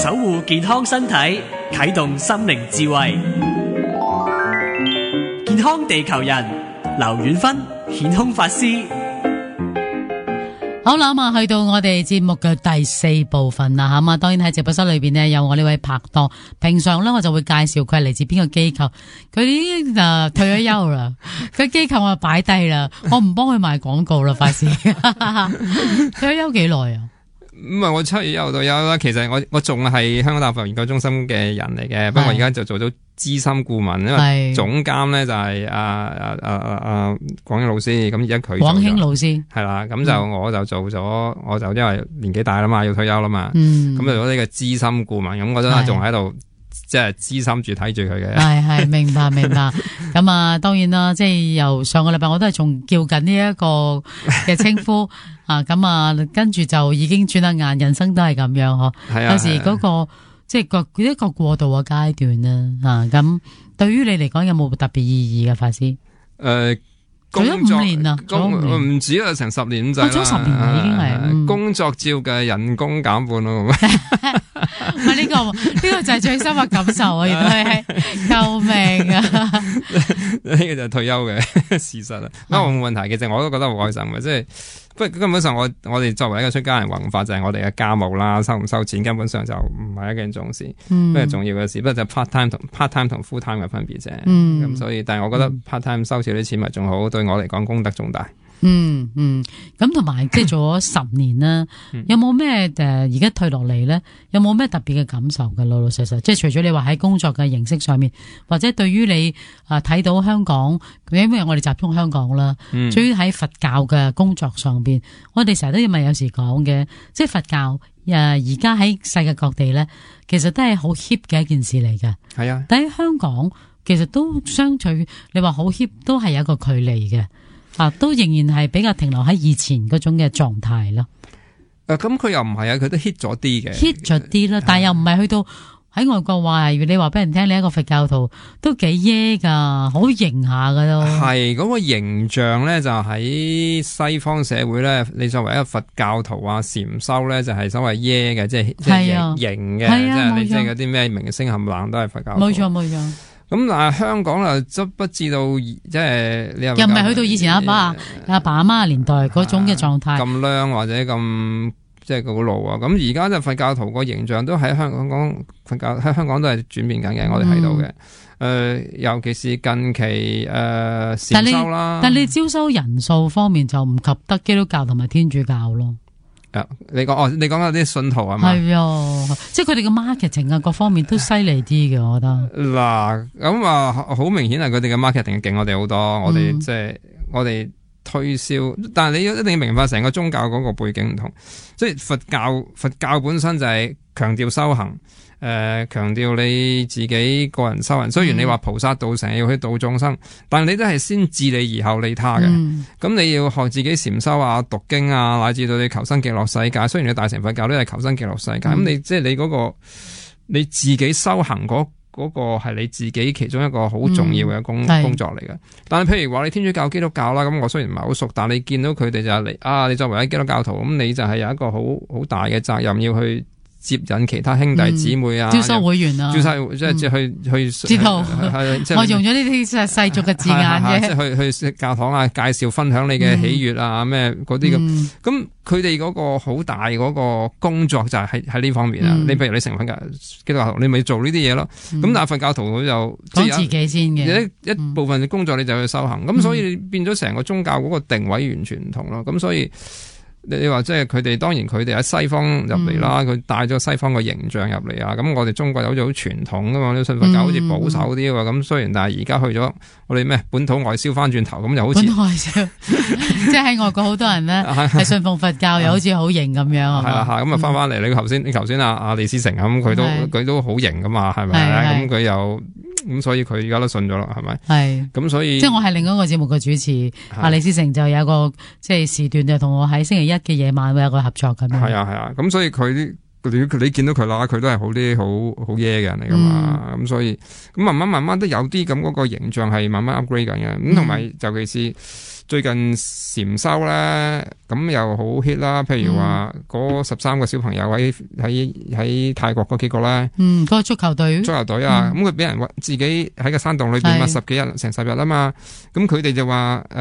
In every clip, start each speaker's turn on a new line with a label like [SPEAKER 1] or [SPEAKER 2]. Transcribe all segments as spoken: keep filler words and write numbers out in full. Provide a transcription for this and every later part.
[SPEAKER 1] 守護健康身體，啟動心靈智慧。健康地球人，劉遠芬顯空法師。
[SPEAKER 2] 好啦，咁啊，去到我哋節目嘅第四部分啦，咁啊，當然喺直播室裏邊呢，有我呢位拍檔。平常咧，我就會介紹佢係嚟自邊個機構，佢已經誒退咗休啦，佢機構我擺低啦，我唔幫佢賣廣告啦，法師。退咗休幾耐啊？
[SPEAKER 3] 唔係我七月一號到休啦，其實我我仲係香港大學佛研究中心嘅人嚟嘅，不過而家就做咗資深顧問，因為總監咧就係阿阿阿阿阿廣興老師，咁而家佢
[SPEAKER 2] 廣興老師
[SPEAKER 3] 係啦，咁就我就做咗，嗯、我就因為年紀大啦嘛，要退休啦嘛，咁、
[SPEAKER 2] 嗯、
[SPEAKER 3] 就做咗呢個資深顧問，咁我真係仲喺度。即係資深住睇住佢嘅，
[SPEAKER 2] 係係明白明白。咁啊，當然啦，即係由上個禮拜我都係仲叫緊呢一個嘅稱呼啊。咁啊，跟住就已經轉下眼，人生都係咁樣嗬。係啊，有時嗰、那個、啊、即係個一個過渡嘅階段啦。啊，咁對於你嚟講有冇特別意義嘅法師？誒、
[SPEAKER 3] 呃。
[SPEAKER 2] 做咗五年啦，
[SPEAKER 3] 唔止啦，成十年咁滯啦。
[SPEAKER 2] 做咗十年啦，已經係、嗯、
[SPEAKER 3] 工作照嘅人工減半咯。唔
[SPEAKER 2] 係呢個呢、這個就係最深嘅感受啊！原來係救命啊！
[SPEAKER 3] 呢個就係退休嘅事實啦。不過冇問題，其實我都覺得好開心嘅，即係不過根本上我我哋作為一個出家人弘法就係我哋嘅家務啦，收唔收錢根本上就唔係一件重事，不過重要嘅事，不過就 part time 同 part time 同 full time 嘅分別啫。咁、嗯、所以，但係我覺得 part time 收少啲錢咪仲好，對我嚟講功德重大。
[SPEAKER 2] 嗯嗯，咁同埋即係做咗十年啦，有冇咩誒而家退落嚟咧？有冇咩特別嘅感受嘅？老老實實，即係除咗你話喺工作嘅形式上面，或者對於你啊睇到香港，因為我哋集中香港啦，至於喺佛教嘅工作上邊，我哋成日都要咪有時講嘅，即係佛教誒而家喺世界各地咧，其實都係好 hit 嘅一件事嚟嘅。係啊，但喺香港其實都相對你話好 hit 都係有一個距離嘅。啊，都仍然係比較停留喺以前嗰種嘅狀態咯。
[SPEAKER 3] 誒，咁佢又唔係啊，佢都 hit 咗啲嘅
[SPEAKER 2] ，hit 咗啲啦，但係又唔係去到喺外國話，你話俾人聽你一個佛教徒都幾耶噶，好型下噶都。係
[SPEAKER 3] 嗰、嗰個形象咧，就喺西方社會咧，你作為一個佛教徒啊，禪修咧就係所謂耶嘅，即係即係型嘅，即係你即係嗰啲咩明星冚唪唥都係佛教徒。冇錯冇錯。咁但係香港啊，則不知道即係你又唔係去到以前阿爸阿爸阿媽嘅年代嗰種嘅狀態咁靚或者咁即係好老啊！咁而家就佛教徒個形象都喺香港講佛教喺香港都係轉變緊嘅，我哋睇到嘅。誒、嗯呃，尤其是近期誒禪修啦，但係你招收人數方面就唔及得基督教同埋天主教咯。你講哦，你講嗰啲信徒係嘛？係啊，
[SPEAKER 2] 即係佢哋嘅 marketing 啊，各方面都犀利啲嘅，我覺得。嗱，
[SPEAKER 3] 咁啊，好明顯係佢哋嘅 marketing 勁我哋好多，嗯、我哋即係我哋推銷，但係你一定要明白成個宗教嗰個背景唔同，即係佛教佛教本身就係強調修行。誒、呃，強調你自己個人修行，雖然你話菩薩道成日要去度眾生，嗯、但你都係先自利而後利他嘅。咁、嗯、你要學自己禪修啊、讀經啊，乃至到你求生極樂世界。雖然你大乘佛教都係求生極樂世界，咁、嗯、你即係你嗰、嗰個你自己修行嗰嗰個係你自己其中一個好重要嘅工、嗯、工作嚟嘅。但係譬如話你天主教、基督教啦，咁我雖然唔係好熟，但係你見到佢哋就係嚟啊，你作為一基督教徒，咁你就係有一個好好大嘅責任要去接引其他兄弟姊妹啊，招收會員啊，招收即係即係去去知道，我用咗呢啲世俗嘅字眼嘅，即係去去教堂啊，介紹分享你嘅喜悅啊，咩嗰啲咁。咁佢哋嗰個好大嗰個工作就係喺喺呢方面啊。嗯、你譬如你成佛教基督教徒，你咪做呢啲嘢咯。咁、嗯、但係佛教徒佢就講自己先嘅，一一部分嘅工作你就去修行。咁、嗯、所以變咗成個宗教嗰個定位完全唔同咯。咁所以。你話即係佢哋，當然佢哋喺西方入嚟啦，佢帶咗西方個形象入嚟啊。咁我哋中國好似好傳統噶嘛，啲信佛教好似保守啲喎。咁、嗯、雖然但係而家去咗我哋咩本土外銷翻轉頭，咁又好似本土外銷，即係喺外國好多人咧係信奉佛教，又好似好型咁樣。係啦，咁啊翻翻嚟，你頭先你頭先阿阿李思成咁，佢都佢都好型噶嘛，係咪？咁佢又。咁所以佢而家都信咗啦，係咪？係。咁所以即係我係另一個節目嘅主持，阿李思成就有一個即係時段就同我喺星期一嘅夜晚會有個合作咁樣。係啊係啊，咁所以佢啲你你見到佢啦，佢都係好啲好好耶嘅人嚟噶嘛。咁、嗯、所以咁慢慢慢慢都有啲咁嗰個形象係慢慢 upgrade 緊嘅。咁同埋尤其是最近禪修咧，咁又好 hit 啦。譬如話嗰十三個小朋友喺喺喺泰國嗰幾個咧，
[SPEAKER 2] 嗯，嗰、嗰個足球隊，
[SPEAKER 3] 足球隊啊，咁佢俾人自己喺個山洞裏邊乜十幾日，成十日啊嘛。咁佢哋就話誒，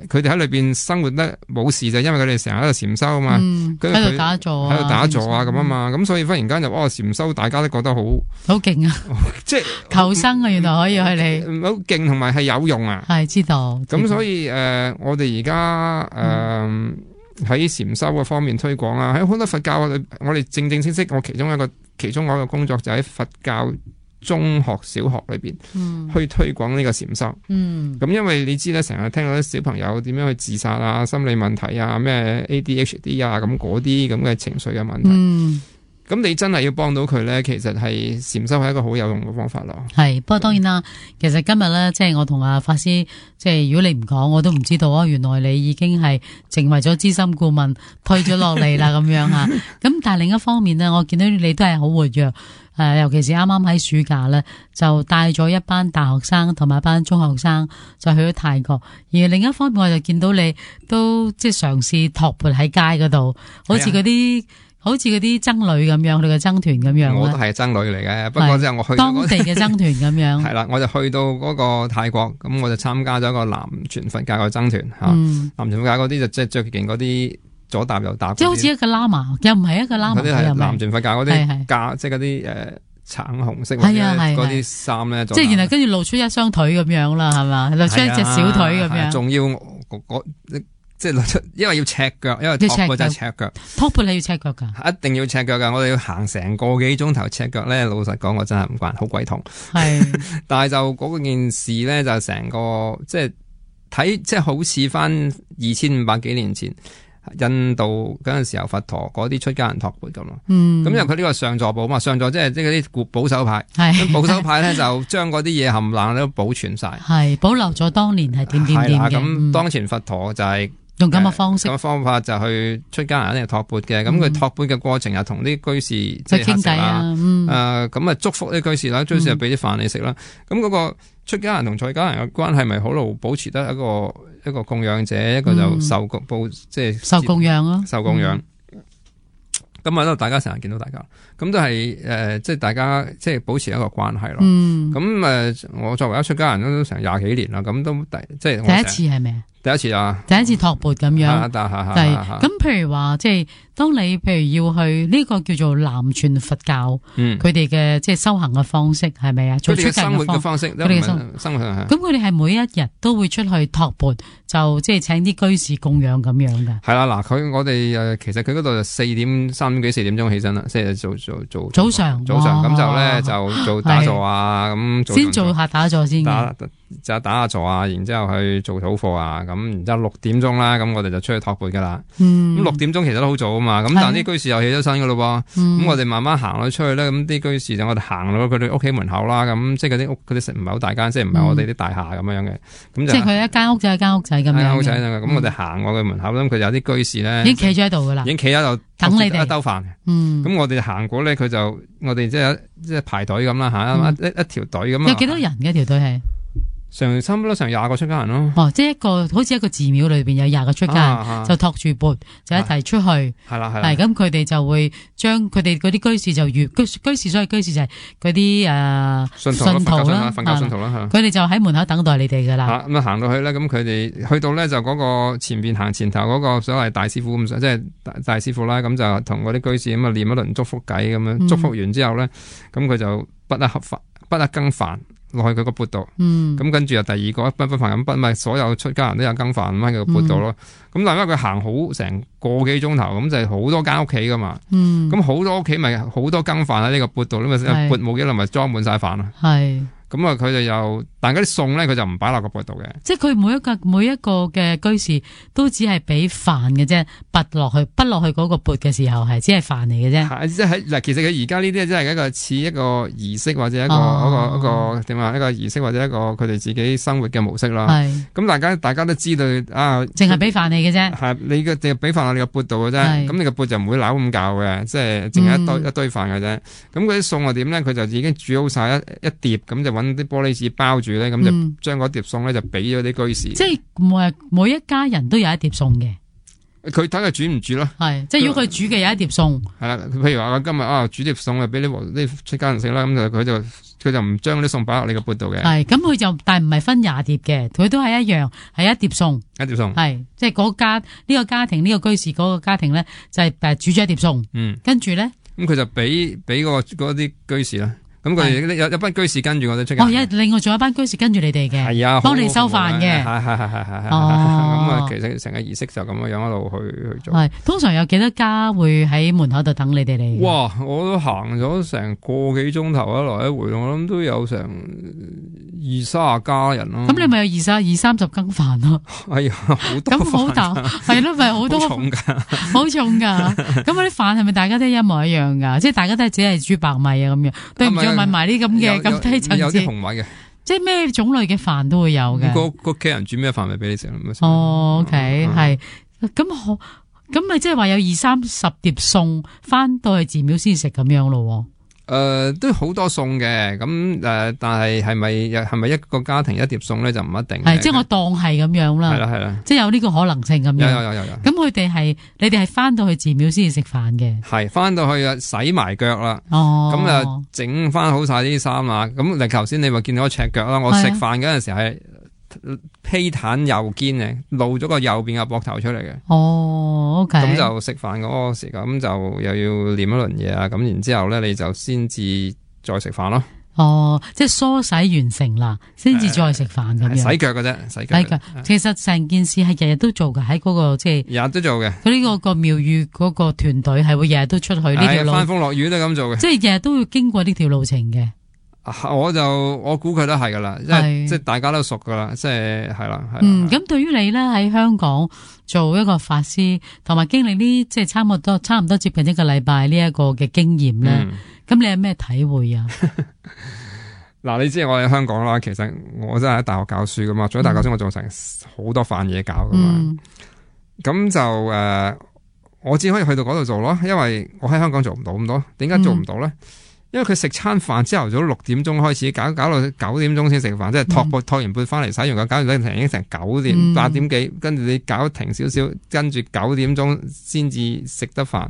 [SPEAKER 3] 佢哋喺裏邊生活得冇事就因為佢哋成日喺度禪修啊嘛，跟住佢
[SPEAKER 2] 打坐
[SPEAKER 3] 喺度打坐啊咁啊嘛。咁所以忽然間就哇禪修，大家都覺得好
[SPEAKER 2] 好勁啊！即係求生啊，原來可以去你
[SPEAKER 3] 好勁，同埋係有用啊。
[SPEAKER 2] 係知道。
[SPEAKER 3] 咁所以誒、呃，我哋而家誒喺禪修嘅方面推廣啊，喺好多佛教我哋正正式式，我其中一個其中一個工作就喺佛教中學、小學裏邊、嗯、去推廣呢個禪修。嗯，咁因為你知咧，成日聽到啲小朋友點樣去自殺啊、心理問題啊、咩 A D H D 啊，咁嗰啲咁嘅情緒嘅問題。嗯。咁你真係要幫到佢咧，其實係禪修係一個好有用嘅方法咯。
[SPEAKER 2] 係，不過當然啦，其實今日咧，即係我同阿法師，即係如果你唔講，我都唔知道啊。原來你已經係成為咗資深顧問，退咗落嚟啦，咁樣吓。咁但係另一方面呢，我見到你都係好活躍，誒，尤其是啱啱喺暑假咧，就帶咗一班大學生同埋一班中學生就去咗泰國。而另一方面，我就見到你都即係嘗試托缽喺街嗰度，好似嗰啲。好似嗰啲僧侶咁樣，佢嘅僧團咁樣。我
[SPEAKER 3] 都係僧侶嚟嘅，不過之後我去到
[SPEAKER 2] 當地嘅僧團咁樣。
[SPEAKER 3] 係啦，我就去到嗰個泰國，咁我就參加咗一個南傳佛教嘅僧團吓。嗯、南傳佛教嗰啲就即係最勁嗰啲左搭右搭。即係好似一個喇嘛，又唔係一個喇嘛。嗰啲係南傳佛教嗰啲架，即係嗰啲誒橙紅色嗰啲衫咧。
[SPEAKER 2] 即係然後跟住露出一雙腿咁樣啦，係嘛？露出一隻小腿咁樣。
[SPEAKER 3] 仲要嗰即係因為要赤腳，因為托缽就係赤腳。
[SPEAKER 2] 托缽你要赤腳噶？
[SPEAKER 3] 一定要赤腳噶，我哋要行成個幾鐘頭赤腳咧。老實講，我真係唔慣，好鬼痛。係，但係就嗰件事咧，就成個即係睇，即係好似翻二千五百幾年前印度嗰陣時候佛陀嗰啲出家人托缽咁咯。嗯，咁因為佢呢個上座部嘛，上座即係即係嗰啲保守派。係，保守派咧就將嗰啲嘢冚唪唥都保存晒。係，保留咗當年係點點點嘅。咁當前佛陀就係、是。
[SPEAKER 2] 用咁嘅方式，
[SPEAKER 3] 咁嘅方法就去出家人一定係托缽嘅，咁佢托缽嘅過程又同啲居士即係傾偈啊，誒咁啊祝福啲居士啦，居士又俾啲飯你食啦，咁嗰、嗯、個出家人同在家人嘅關係咪好路保持得一個一個供養者，一個就受報即係
[SPEAKER 2] 受供養咯，
[SPEAKER 3] 受供養。咁啊，都大家成日見到大家，咁都係誒、呃，即係大家即係保持一個關係咯。咁誒、嗯呃，我作為一出家人都成廿幾年啦，咁都第即係
[SPEAKER 2] 第一次係咪啊？
[SPEAKER 3] 第一次啊！
[SPEAKER 2] 第一次托缽咁樣，
[SPEAKER 3] 係
[SPEAKER 2] 咁。譬如話，即係當你譬如要去呢個叫做南傳佛教，佢哋嘅即係修行嘅方式係咪啊？
[SPEAKER 3] 佢哋嘅生活嘅方式，佢哋嘅生活係。
[SPEAKER 2] 咁佢哋係每一日都會出去托缽，就即係請啲居士供養咁樣嘅。
[SPEAKER 3] 係啦，嗱，佢我哋誒，其實佢嗰度就四點三點幾四點鐘起身啦，即係做做做
[SPEAKER 2] 早上
[SPEAKER 3] 早上咁就咧就做打坐啊，咁
[SPEAKER 2] 先做下打坐先。
[SPEAKER 3] 就打下坐啊，然之後去做早課啊，咁然之後六點鐘啦，咁我哋就出去托缽噶啦。咁、嗯、六點鐘其實都好早啊嘛，咁但係啲居士又起咗身噶咯噃，咁、嗯、我哋慢慢行咗出去咧，咁啲居士就我哋行到佢哋屋企門口啦，咁即係嗰啲屋嗰啲唔係好大間，即係唔係我哋啲大廈咁樣嘅，咁、嗯、就即
[SPEAKER 2] 係佢一間屋仔一間屋仔咁樣。間屋仔
[SPEAKER 3] 咁、嗯、我哋行過佢門口，咁佢有啲居士咧
[SPEAKER 2] 已經企咗喺度噶啦，
[SPEAKER 3] 已經企喺度
[SPEAKER 2] 等你哋
[SPEAKER 3] 一兜飯。咁、
[SPEAKER 2] 嗯、
[SPEAKER 3] 我哋行過咧，佢就我哋即係即係排隊咁啦，行、嗯、一一條隊咁。
[SPEAKER 2] 有幾多人嘅條隊係？
[SPEAKER 3] 成差唔多成廿個出家人咯。
[SPEAKER 2] 哦，即係一個好似一個寺廟裏邊有廿個出家人，啊啊、就托住缽就一齊出去。係啦係啦。係咁，佢哋就會將佢哋嗰啲居士就越居居士，所謂居士就係嗰啲誒信徒啦，
[SPEAKER 3] 佛教信徒啦。
[SPEAKER 2] 佢哋就喺門口等待你哋噶啦。
[SPEAKER 3] 咁啊行到去咧，咁佢哋去到咧就嗰個前邊行前頭嗰個所謂大師傅咁，即係大大師傅啦。咁就同嗰啲居士咁啊念一輪祝福偈咁樣，祝福完之後咧，咁佢就不得合飯，不得羹飯。落去佢個缽度，咁、嗯、跟住又第二個一賓賓飯咁賓，咪所有出家人都有羹飯咁喺佢個缽度咯。咁、嗯、但係因為佢行好成個幾鐘頭，咁就係好多間屋企噶嘛。咁好、嗯、多屋企咪好多羹飯喺呢個缽度，咁咪缽冇幾耐咪裝滿晒飯咯。係。咁啊，佢哋又，但係嗰啲餸咧，佢就唔擺落個缽度嘅。即係佢每一個每一個嘅居士都只係俾飯嘅啫，拔落去，拔落去嗰個缽嘅時候係只係飯嚟嘅啫。係即係嗱，其實佢而家呢啲真係一個似一個儀式或者一個、哦、一個一個點啊，一個儀式或者一個佢哋自己生活嘅模式啦。係咁是，大家大家都知道啊，淨係俾飯你嘅啫。係你嘅淨係俾飯落你個缽度嘅啫。咁是你個缽就唔會扭咁教嘅，即係淨係一堆、嗯、一堆飯嘅啫。咁嗰啲餸係點咧？佢就已經煮好晒一一碟，咁就揾啲玻璃紙包住咧，咁就將嗰碟餸咧就俾咗啲居士。
[SPEAKER 2] 即係每每一家人都有一碟餸嘅。
[SPEAKER 3] 佢睇佢煮唔煮咯，
[SPEAKER 2] 係即係如果佢煮嘅有一碟餸，
[SPEAKER 3] 係啦，譬如話我今日啊煮碟餸啊俾啲啲出家人食啦，咁就佢就佢就唔將啲餸擺落你個缽度嘅。係咁佢就但係唔係分廿碟嘅，佢都係一樣係一碟餸，一碟餸係即係嗰家呢、這個家庭呢、這個居士嗰個家庭咧就係誒煮咗一碟餸，嗯，跟住咧咁佢就俾俾嗰個嗰啲居士啦。咁佢哋有有班居士跟住我哋出街。
[SPEAKER 2] 哦，另外仲有班居士跟住你哋嘅，係啊，幫你收飯嘅，
[SPEAKER 3] 係係係係係。哦，咁啊，其實成個儀式就咁樣樣一路去去做。
[SPEAKER 2] 係，通常有幾多家會喺門口度等你哋嚟？
[SPEAKER 3] 哇！我都行咗成個幾鐘頭一來一回，我諗都有成二卅家人咯。咁
[SPEAKER 2] 你咪有二三二三十羹飯咯？
[SPEAKER 3] 係啊，好多。
[SPEAKER 2] 咁好大，係咯，咪好多。好重㗎，好重㗎。咁嗰啲飯係咪大家都一模一樣㗎？即係大家都係只係煮白米啊咁樣，對唔住。問埋啲咁嘅咁低層次，
[SPEAKER 3] 有啲紅米嘅，
[SPEAKER 2] 即係咩種類嘅飯都會有嘅。
[SPEAKER 3] 個個屋企人煮咩飯咪俾你食咯。
[SPEAKER 2] 哦 ，OK，係咁好，咁咪即係話有二三十碟餸，翻到去寺廟先食咁樣咯。
[SPEAKER 3] 誒、呃，都好多餸嘅，咁誒、呃，但係係咪係咪一個家庭一碟餸咧就唔一定。
[SPEAKER 2] 係，即係我當係咁樣啦。係啦係啦，即係有呢個可能性咁樣。
[SPEAKER 3] 有有有有有。咁
[SPEAKER 2] 佢哋係你哋係翻到去寺廟先至食飯嘅。係，
[SPEAKER 3] 翻到去啊洗埋腳啦。
[SPEAKER 2] 哦。
[SPEAKER 3] 咁啊整翻好晒啲衫啦。咁你頭先你咪見到我赤腳啦。我食飯嗰陣時係披坦右肩嘅，露咗個右邊嘅膊頭出嚟嘅。
[SPEAKER 2] 哦，OK。咁
[SPEAKER 3] 就食飯嗰個時間，咁就又要念一輪嘢啊。咁然之後咧，你就先至再食飯咯。
[SPEAKER 2] 哦，即係梳洗完成啦，先至再食飯咁樣。
[SPEAKER 3] 洗腳嘅啫，洗腳。洗腳。
[SPEAKER 2] 其實成件事係日日都做嘅，喺嗰個即係。
[SPEAKER 3] 日日都做嘅。
[SPEAKER 2] 佢呢個個廟宇嗰個團隊係會日日都出去呢條路。
[SPEAKER 3] 翻風落雨都咁做嘅。
[SPEAKER 2] 即係日日都要經過呢條路程嘅。
[SPEAKER 3] 我就我估佢都係噶啦，即係即係大家都熟噶啦，即係係啦。
[SPEAKER 2] 嗯，咁對於你咧喺香港做一個法師，同埋經歷呢即係差唔多差唔多接近一個禮拜呢一個嘅經驗咧，咁、嗯、你有咩體會啊？
[SPEAKER 3] 嗱，你知我喺香港啦，其實我真係喺大學教書噶嘛，做咗大學教書我做成好多飯嘢搞噶嘛，咁、嗯、就誒、呃，我只可以去到嗰度做咯，因為我喺香港做唔到咁多，點解做唔到咧？嗯因為佢食餐飯朝頭早六點鐘開始搞，搞到九點鐘先食飯，即係托缽托完缽翻嚟洗完個，搞完成已經成九點八點幾，跟住你搞停少少，跟住九點鐘先至食得飯，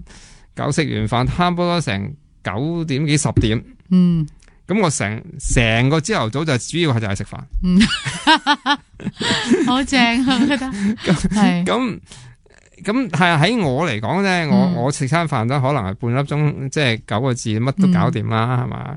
[SPEAKER 3] 搞食完飯差唔多成九點幾十點。嗯，咁我成成個朝頭早就主要係就係食飯。嗯，好正啊，我覺得係咁。咁係喺我嚟講咧，我我食餐飯都可能係半粒鐘，即係九個字，乜都搞掂啦，係、嗯、嘛？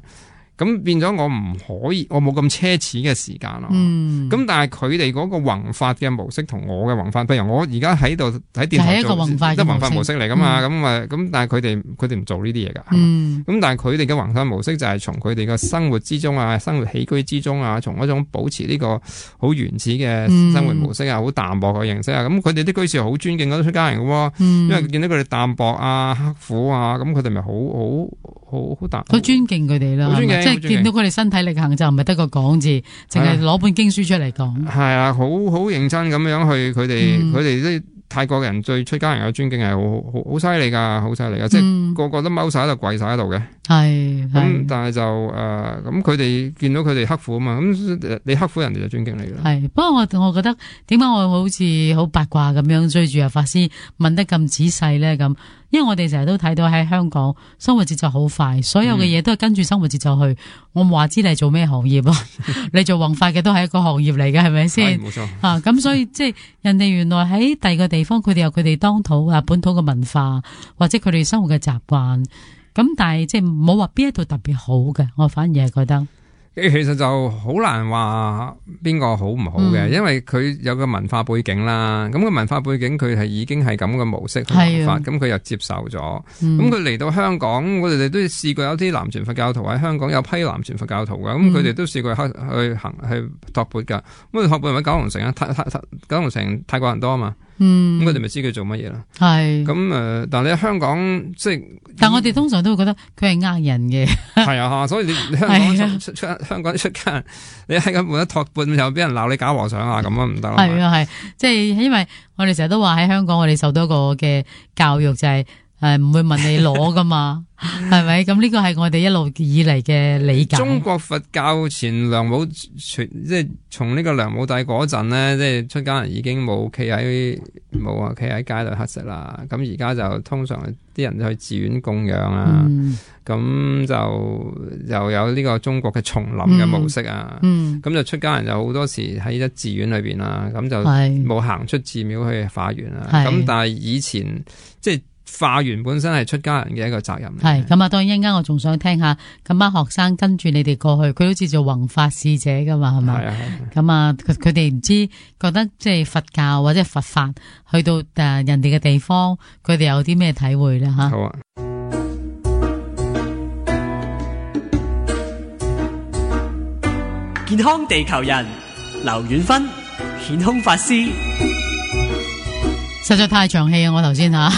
[SPEAKER 3] 咁變咗我唔可以，我冇咁奢侈嘅時間咯。咁、嗯、但係佢哋嗰個弘法嘅模式同我嘅弘法，譬如我而家喺度喺電台做，都弘法模式嚟噶嘛。咁啊咁，但係佢哋佢哋唔做呢啲嘢噶。咁、嗯、但係佢哋嘅弘法模式就係從佢哋嘅生活之中啊，生活起居之中啊，從一種保持呢個好原始嘅生活模式啊，好、嗯、淡薄嘅形式啊。咁佢哋啲居士好尊敬嗰啲出家人嘅，嗯、因為見到佢哋淡薄啊、刻苦啊，咁佢哋咪好好好好淡，好尊敬佢哋啦。即係見到佢哋身體力行就唔係得個講字，淨係攞本經書出嚟講。係啊，好好認真咁樣去，佢哋佢哋啲泰國人對出家人嘅尊敬係好好好犀利噶，好犀利噶，即係個個都踎晒喺度，跪晒喺度嘅。係咁，但係就誒，咁佢哋見到佢哋刻苦啊嘛，咁你刻苦，人哋就尊敬你啦。係，不過我我覺得點解我好似好八卦咁樣追住阿法師問得咁仔細咧？咁，因為我哋成日都睇到喺香港生活節奏好快，所有嘅嘢都係跟住生活節奏去。我唔話知你係做咩行業啊？你做弘法嘅都係一個行業嚟嘅，係咪先？冇錯啊！咁所以即係人哋原來喺第二個地方，佢哋有佢哋當土啊本土嘅文化，或者佢哋生活嘅習慣。咁但係即係冇話邊一度特別好嘅，我反而係覺得。其實就好難話邊個好唔好嘅，嗯、因為佢有個文化背景啦。咁個文化背景佢係已經係咁嘅模式去弘法，咁佢又接受咗。咁佢嚟到香港，我哋都試過有啲南傳佛教徒喺香港，有批南傳佛教徒嘅，咁佢哋都試過去去行去托缽噶。咁佢托缽係咪九龍城啊？泰泰九龍城泰國人多啊嘛。嗯，咁佢哋咪知佢做乜嘢啦？係咁誒，但係你喺香港即係，但我哋通常都會覺得佢係呃人嘅。係啊，所以你你香港出出香港出家人，你喺咁冇得托缽又俾人鬧你假和尚啊，咁啊唔得啦。係啊係，即係因為我哋成日都話喺香港，我哋受到一個嘅教育就係
[SPEAKER 2] 誒唔會問你攞噶嘛，係咪？咁呢個係我哋一路以嚟嘅理解。
[SPEAKER 3] 中國佛教前梁武即係從呢個梁武帝嗰陣咧，即係出家人已經冇企喺冇啊，企喺街度乞食啦。咁而家就通常啲人就去寺院供養啊，咁、嗯、就又有呢個中國嘅叢林嘅模式啊。咁、嗯、就出家人就好多時喺一寺院裏邊啦，咁就冇行出寺廟去化緣啊。咁但係以前即係。化緣本身係出家人嘅一個責任。
[SPEAKER 2] 係咁啊，當然一陣間我仲想聽下咁班學生跟住你哋過去，佢好似做弘法使者噶嘛，係咪？係啊係。咁啊，佢佢哋唔知覺得即係佛教或者佛法去到誒人哋嘅地方，佢哋有啲咩體會咧吓？好啊。
[SPEAKER 1] 健康地球人劉遠芬顯空法師。
[SPEAKER 2] 實在太長氣啊！我頭先吓，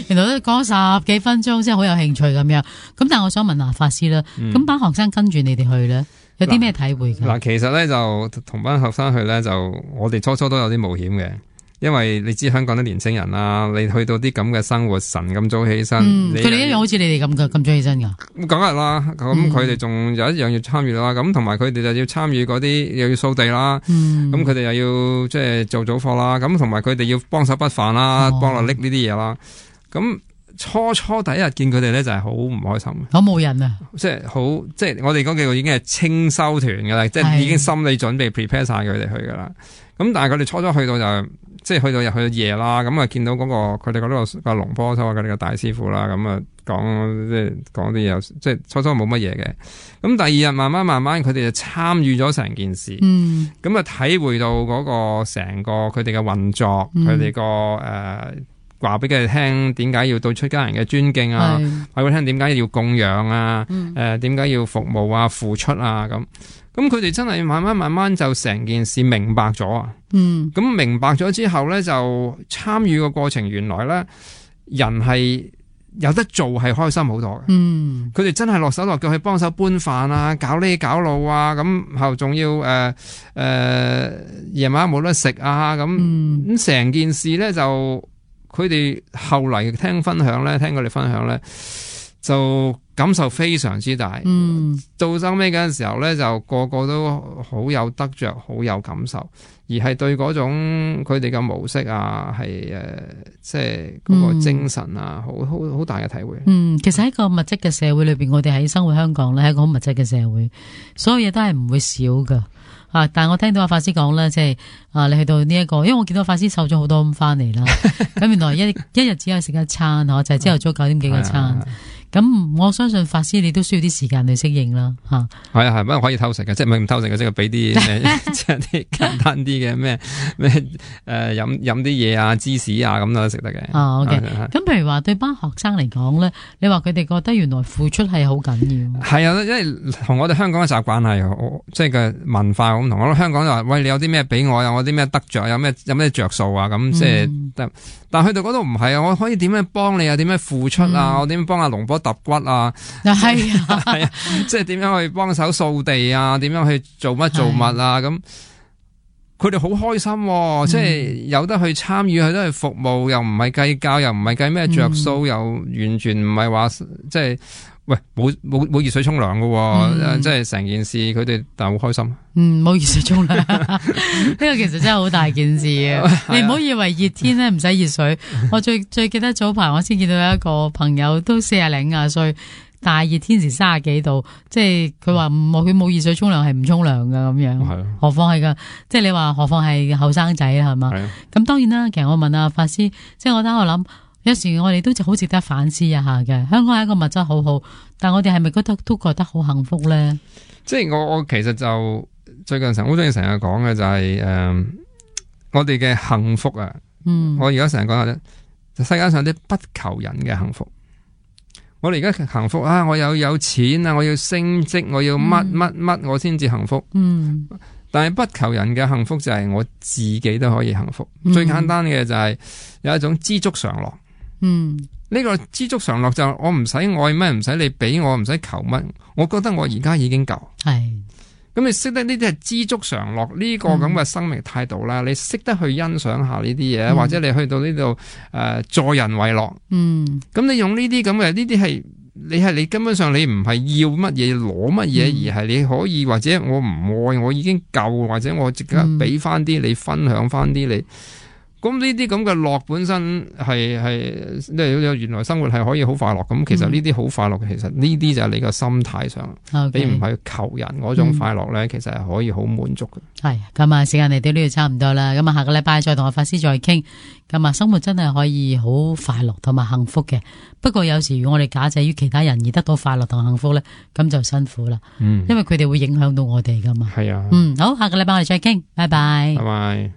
[SPEAKER 2] 原來都講十幾分鐘，真係好有興趣咁樣。咁但係我想問下法師啦，咁、嗯、班學生跟住你哋去咧，有啲咩體會㗎？嗱，
[SPEAKER 3] 其實咧就同班學生去咧，就我哋初初都有啲冒險嘅。因為你知香港啲年青人啦，你去到啲咁嘅生活，晨咁早起身，
[SPEAKER 2] 佢哋、嗯、一樣好似你哋咁嘅咁早起身噶。咁
[SPEAKER 3] 梗係啦，咁佢哋仲有一樣要參與啦，咁同埋佢哋就要參與嗰啲又要掃地啦，咁佢哋又要即係做早課啦，咁同埋佢哋要幫手筆飯啦，幫我拎呢啲嘢啦。咁初初第一日見佢哋咧，就係好唔開心，
[SPEAKER 2] 好冇癮啊！
[SPEAKER 3] 即係好，即係我哋嗰幾個已經係清修團噶啦，即係已經心理準備 prepare 晒佢哋去噶啦。咁但係佢哋初初去到就。即係去到入去到夜啦，咁啊見到嗰、那個佢哋嗰度個龍坡修啊，佢哋個大師傅啦，咁啊講即係講啲嘢，即係初初冇乜嘢嘅。咁第二日慢慢慢慢，佢哋就參與咗成件事，嗯，咁啊體會到嗰個成個佢哋嘅運作，佢哋個誒話俾佢哋聽點解要對出家人嘅尊敬啊，話俾佢聽點解要供養啊，誒點解要服務啊、付出啊咁。咁佢哋真係慢慢慢慢就成件事明白咗啊！嗯，咁明白咗之後咧，就參與個過程，原來咧人係有得做係開心好多嘅。嗯，佢哋真係落手落腳去幫手搬飯啊，搞呢搞路啊，咁後仲要誒誒夜晚冇得食啊，咁咁成件事咧就佢哋後嚟聽分享咧，聽佢哋分享咧就。感受非常之大，嗯，到收尾嗰陣時候咧，就個個都好有得着，好有感受，而係對嗰種佢哋嘅模式啊，係誒、呃，即係嗰個精神啊，好好好大嘅體會。嗯，
[SPEAKER 2] 其實喺個物質嘅社會裏邊，我哋喺生活香港咧，係一個好物質嘅社會，所有嘢都係唔會少噶。啊！但係我聽到阿法師講咧，即係啊，你去到呢、這、一個，因為我見到法師瘦咗好多咁翻嚟啦。咁原來一一日只有食一餐，嗬，就係朝頭早九點幾個餐。咁我相信法師你都需要啲時間去適應啦，吓。
[SPEAKER 3] 係啊係，不過可以偷食嘅，即係唔係唔偷食嘅，即係俾啲即係啲簡單啲嘅咩咩誒飲飲啲嘢啊芝士啊咁都食得嘅。
[SPEAKER 2] 啊 OK，咁譬如話對班學生嚟講咧，你話佢哋覺得原來付出係好緊要。係
[SPEAKER 3] 啊，因為同我哋香港嘅習慣係，即係嘅文化咁同。我諗香港就話喂，你有啲咩俾我，有我啲咩得着，有咩有咩着數啊咁，即係得。但係去到嗰度唔係啊，我可以點樣幫你啊？點樣付出啊？嗯、我點樣幫阿龍波揼骨啊？
[SPEAKER 2] 係啊，
[SPEAKER 3] 係啊，即係點樣去幫手掃地啊？點樣去做乜做物啊？咁佢哋好開心、啊，嗯、即係有得去參與，有得去服務，又唔係計較，又唔係計咩着數，又完全唔係話即係喂冇冇冇熱水沖涼噶，即係成件事佢哋但係好開心。
[SPEAKER 2] 嗯，冇熱水沖涼，呢個其實真係好大件事啊！你唔好以為熱天咧唔使熱水。我最最記得早排我先見到有一個朋友都四廿零廿歲，大熱天時三十幾度，即係佢話冇佢冇熱水沖涼係唔沖涼噶咁樣。係啊，何況係噶，即係你話何況係後生仔啦係嘛？係啊。咁當然啦，其實我問阿法師，即係我等我諗。有時我哋都好值得反思一下嘅。香港係一個物質好好，但我哋係咪覺得都覺得好幸福咧？
[SPEAKER 3] 即係我我其實就最近成好中意成日講嘅就係、是、誒、呃，我哋嘅幸福啊。嗯，我而家成日講下咧，世界上啲不求人嘅幸福。我哋而家幸福啊！我有有錢啊！我要升職，我要乜乜乜，我先至幸福。嗯，但係不求人嘅幸福就係我自己都可以幸福。嗯、最簡單嘅就係有一種知足常樂。嗯，呢個知足常樂就我唔使愛乜，唔使你俾我，唔使求乜，我覺得我而家已經夠。係，咁你識得呢啲係知足常樂呢個咁嘅生命態度啦，嗯、你識得去欣賞下呢啲嘢，嗯、或者你去到呢度誒助人為樂。嗯，咁你用呢啲咁嘅呢啲係。你係你根本上你唔係要乜嘢攞乜嘢，嗯、而係你可以或者我唔愛我已經夠，或者我即刻俾翻啲你分享翻啲你。咁呢啲咁嘅樂本身係係，即係原來生活係可以好快樂。咁其實呢啲好快樂，其實呢啲就係你個心態上，嗯、你唔係求人嗰種快樂咧，嗯、其實係可以好滿足嘅。係
[SPEAKER 2] 咁啊，時間嚟到呢度差唔多啦。咁啊，下個禮拜再同阿法師再傾。咁啊，生活真係可以好快樂同埋幸福嘅。不過有時我哋假借於其他人而得到快樂同幸福咧，咁就辛苦啦。嗯，因為佢哋會影響到我哋噶嘛。係啊。嗯，好，下個禮拜我哋再傾。拜拜。
[SPEAKER 3] 拜拜。